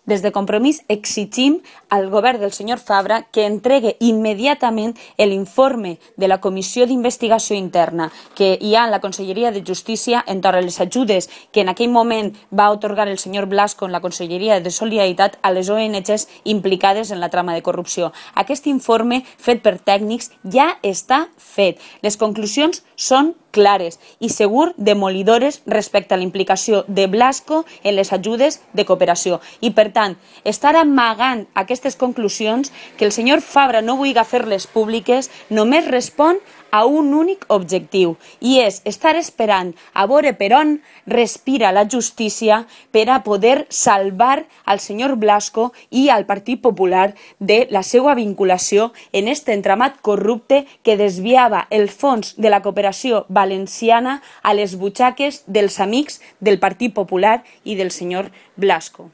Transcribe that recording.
Des de Compromís exigim al govern del senyor Fabra que entregue immediatament l'informe de la Comissió d'Investigació Interna que hi ha en la Conselleria de Justícia entorn a les ajudes que en aquell moment va atorgar el senyor Blasco en la Conselleria de Solidaritat a les ONGs implicades en la trama de corrupció. Aquest informe fet per tècnics ja està fet. Les conclusions són clares i segur demolidores respecte a la implicació de Blasco en les ajudes de cooperació. I, per tant, estar amagant aquestes conclusions, que el senyor Fabra no vulgui fer-les públiques, només respon a un únic objectiu, i és estar esperant a veure per on respira la justícia per a poder salvar al senyor Blasco i al Partit Popular de la seva vinculació en aquest entramat corrupte que desviava el fons de la cooperació valenciana a les butxaques dels amics del Partit Popular i del senyor Blasco.